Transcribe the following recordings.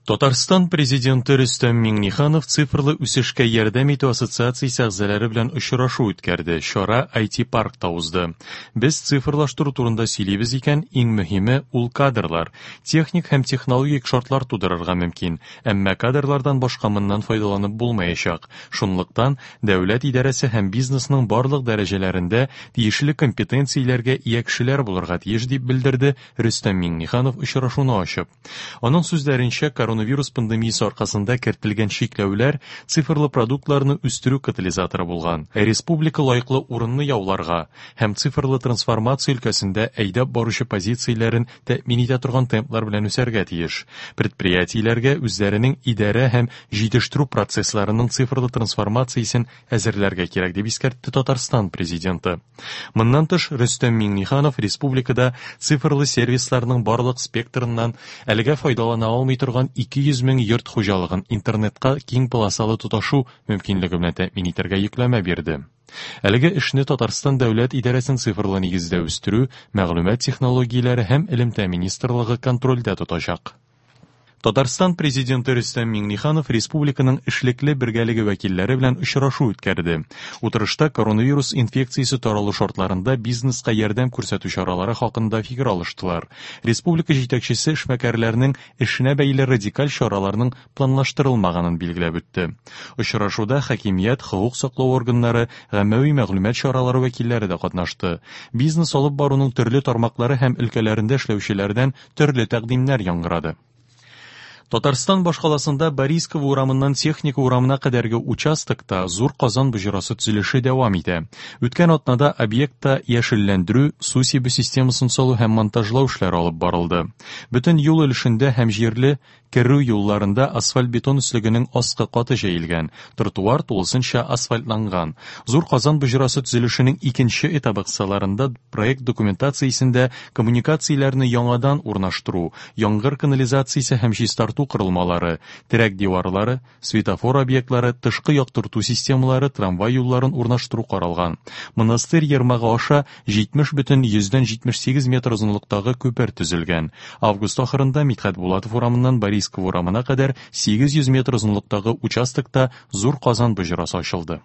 Татарстан Президенты Рөстәм Миңнеханов цифрлы үсешкә ярдәм итү ассоциациясе әгъзалары белән очрашу үткәрде. Чара IT-паркта узды. Без цифрлаштыру турында сөйлибез икән, иң мөһиме ул кадрлар. Техник һәм технологик шартлар тудырырга мөмкин, әмма кадрлардан башка моннан файдаланып булмаячак. Шунлыктан, дәүләт идарәсе һәм бизнесның барлык дәрәҗәләрендә тиешле компетенцияләргә ия кешеләр булырга тиеш, дип белдерде Рөстәм Миңнеханов очрашуны ачып. Аның сүзләренчә, коронавирус пандемиясе аркасында кертелгән чикләүләр цифрлы продуктларны үстерү катализаторы булган. Республика лаеклы урынны яуларга һәм цифрлы трансформация өлкәсендә әйдәп баручы позицияләрен тәэмин итә торган темплар белән үсәргә тиеш. Предприятиеләргә үзләренең идарә һәм җитештерү процессларының цифрлы трансформациясен әзерләргә кирәк, дип искәртте Татарстан Президенты. Моннан тыш, Рөстәм Миңнеханов республикада цифрлы сервисларның барлык спектрыннан әлегә файдалана алмый торган 200 мең йорт хуҗалыгын интернетка киң полосалы тоташу мөмкинлеге белән тәэмин итәргә йөкләмә бирде. Әлеге эшне Татарстан дәүләт идарәсен цифрлы нигездә үстерү, мәгълүмат технологияләре һәм элемтә министрлыгы контрольдә тотачак. Татарстан Президенты Рөстәм Миңнеханов республиканың эшлекле бергәлеге вәкилләре белән очрашу үткәрде. Утырышта коронавирус инфекциясе таралу шартларында бизнеска ярдәм күрсәтү чаралары хакында фикер алыштылар. Республика җитәкчесе эшмәкәрләрнең эшенә бәйле радикаль чараларның планлаштырылмаганын билгеләп үтте. Очрашуда хакимият, хокук саклау органнары, гаммәви мәгълүмат чаралары вәкилләре дә катнашты. Бизнес алып баруның төрле тармаклары һәм өлкәләрендә эшләүчеләрдән төрле тәкъдимнәр яңгырады. Татарстан башкаласында Борисково урамыннан Техника урамына кадәрге участокта Зур Казан боҗрасы төзелеше дәвам итә. Үткән атнада объектта яшелләндерү, су сибү системасын салу һәм монтажлау эшләре алып барылды. Бөтен юл өлешендә һәм җирле керү юлларында асфальт-бетон өслегенең аскы каты җәелгән, тротуар тулысынча асфальтланган. Зур Казан боҗрасы төзелешенең икенче этабы кысаларында проект документациясендә коммуникацияләрне яңадан урнаштыру, яңгыр канализациясе һәм чистарту корылмалары, терәк диварлары, светофор объектлары, тышкы яктырту системалары, трамвай юлларын урнаштыру каралган. Монастырь ермагы аша 70,78 метр озынлыктагы күпер төзелгән. Август ахырында Мидхәт Булатов урамыннан Борисково урамына кадәр 800 метр озынлыктагы участокта Зур Казан боҗрасы ачылды.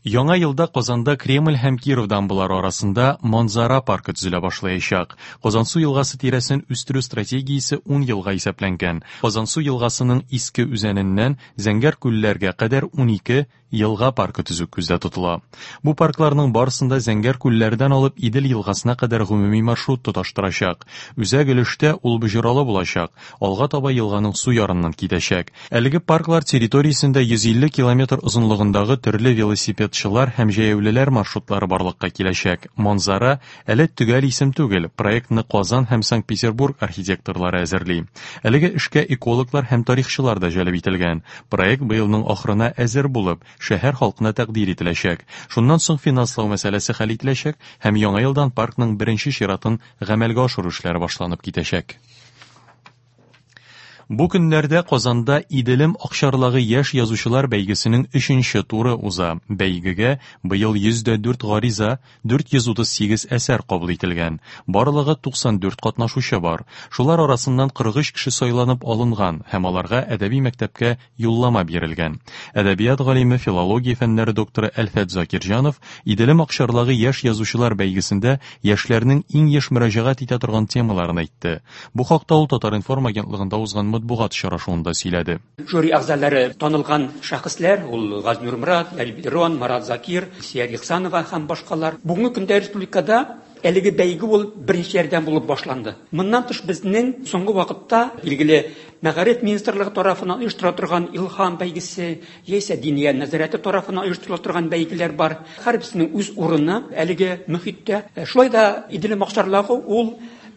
Яңа елда Казанда Кремль һәм Киров дамбалары арасында Манзара паркы төзелә башлаячак. Казансу елгасы тирәсен үстерү стратегиясе 10 елга исәпләнгән. Казансу елгасының иске үзәненнән Зәңгәр күлләргә кадәр 12 елга паркы төзү күздә тотыла. Бу паркларның барысында Зәңгәр күлләрдән алып Идел елгасына кадәр гомуми маршрут тоташтырачак. Үзәк өлештә ул боҗралы булачак, алга таба елганың су ярыннан китәчәк. Әлеге парклар территориясендә 150 километр озынлыгындагы төрле велосипедчылар һәм җәяүлеләр маршрутлары барлыкка киләчәк. Манзара әле төгәл исем түгел, проектны Казан һәм Санкт-Петербург архитекторлары әзерли. Әлеге эшкә экологлар һәм тарихчылар да җәлеп ителгән. Проект быелның ахырына әзер булып, шәһәр халкына тәкъдир ителәчәк. Шуннан соң финанслау мәсьәләсе хәл ителәчәк һәм яңа елдан паркның беренче чиратын гамәлгә ашыру эшләре башланып китәчәк. Бу көннәрдә Казанда Иделем акчарлагы яшь язучылар бәйгесенең өченче туры уза. Бәйгегә быел 104 гариза, 438 әсәр кабул ителгән. Барлыгы 94 катнашучы бар. Шулар арасыннан 43 кеше сайланып алынган һәм аларга әдәби мәктәпкә юллама бирелгән. Әдәбият галиме, филология фәннәре докторы Әлфәт Закирҗанов Иделем акчарлагы яшь язучылар бәйгесендә яшьләрнең иң еш мөрәҗәгать итә торган темаларын әйтте. Бу хакта ул Татар-информ агентлыгында узган матбугат очрашуында сөйләде. Жюри әгъзалары танылган шәхесләр, ул Газинур Морат, Ләбиб Лерон, Марат Закир, Илсөяр Ихсанова һәм башкалар. Бүгенге көндә республикада әлеге бәйге ул беренчеләрдән булып башланды. Моннан тыш безнең соңгы вакытта билгеле Мәгариф министрлыгы тарафыннан оештырыла торган Илһам бәйгесе, яисә Диния нәзарәте тарафыннан оештырыла торган бәйгеләр бар. Һәрберсенең үз урыны әлеге мөхиттә. Шулай да Иделем акчарлагы ул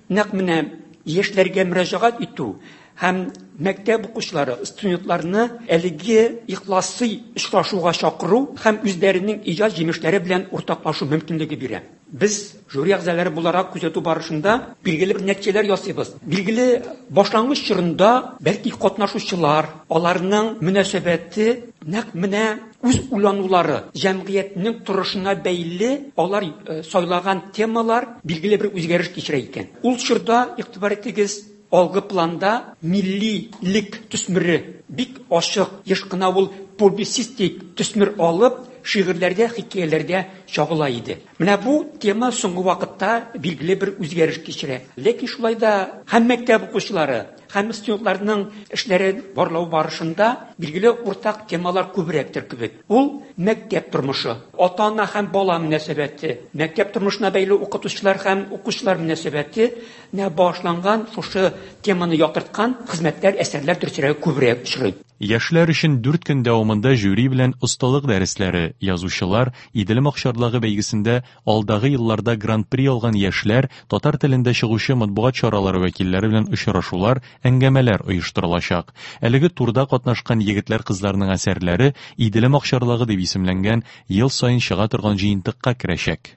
нәкъ менә яшьләргә мөрәҗәгать итү һәм мәктәп укучылары, студентларны әлеге ихласый очрашуга чакыру һәм үзләренең иҗат җимешләре белән уртаклашу мөмкинлеге бирә. Без жюри әгъзалары буларак күзәтү барышында билгеле бер нәтиҗәләр ясыйбыз. Билгеле, башлангыч чорында бәлки катнашучылар, аларның мөнәсәбәте нәкъ менә үз уйланулары, җәмгыятьнең торышына бәйле алар сайлаган темалар билгеле бер үзгәреш кичерә икән. Ул чорда, игътибар итегез, Алгы планда миллилек төсмере бик ачык, еш кына ул публицистик төсмер алып, шигырьләрдә, хикәяләрдә чагыла иде. Менә бу тема соңгы вакытта билгеле бер үзгәреш кичерә. Ләкин шулай да һәм мәктәп укучылары, һәм студентларның эшләрен барлау барышында билгеле уртак темалар күбрәктер кебек. Ул мәктәп тормышы, ата-ана һәм бала мөнәсәбәте, мәктәп тормышына бәйле укытучылар һәм укучылар мөнәсәбәте нә багышланган шушы теманы яктырткан хезмәтләр, әсәрләр дөресрәге күбрәк очрый. Яшьләр өчен дүрт көн дәвамында жюри белән осталык дәресләре, язучылар, Иделем акчарлагы бәйгесендә алдагы елларда гран-при алган яшьләр, татар телендә чыгучы матбугат чаралары вәкилләре белән очрашулар, әңгәмәләр оештырылачак. Әлеге турда катнашкан егетләр-кызларның әсәрләре Иделем акчарлагы дип исемләнгән ел саен чыга торган җыентыкка керәчәк.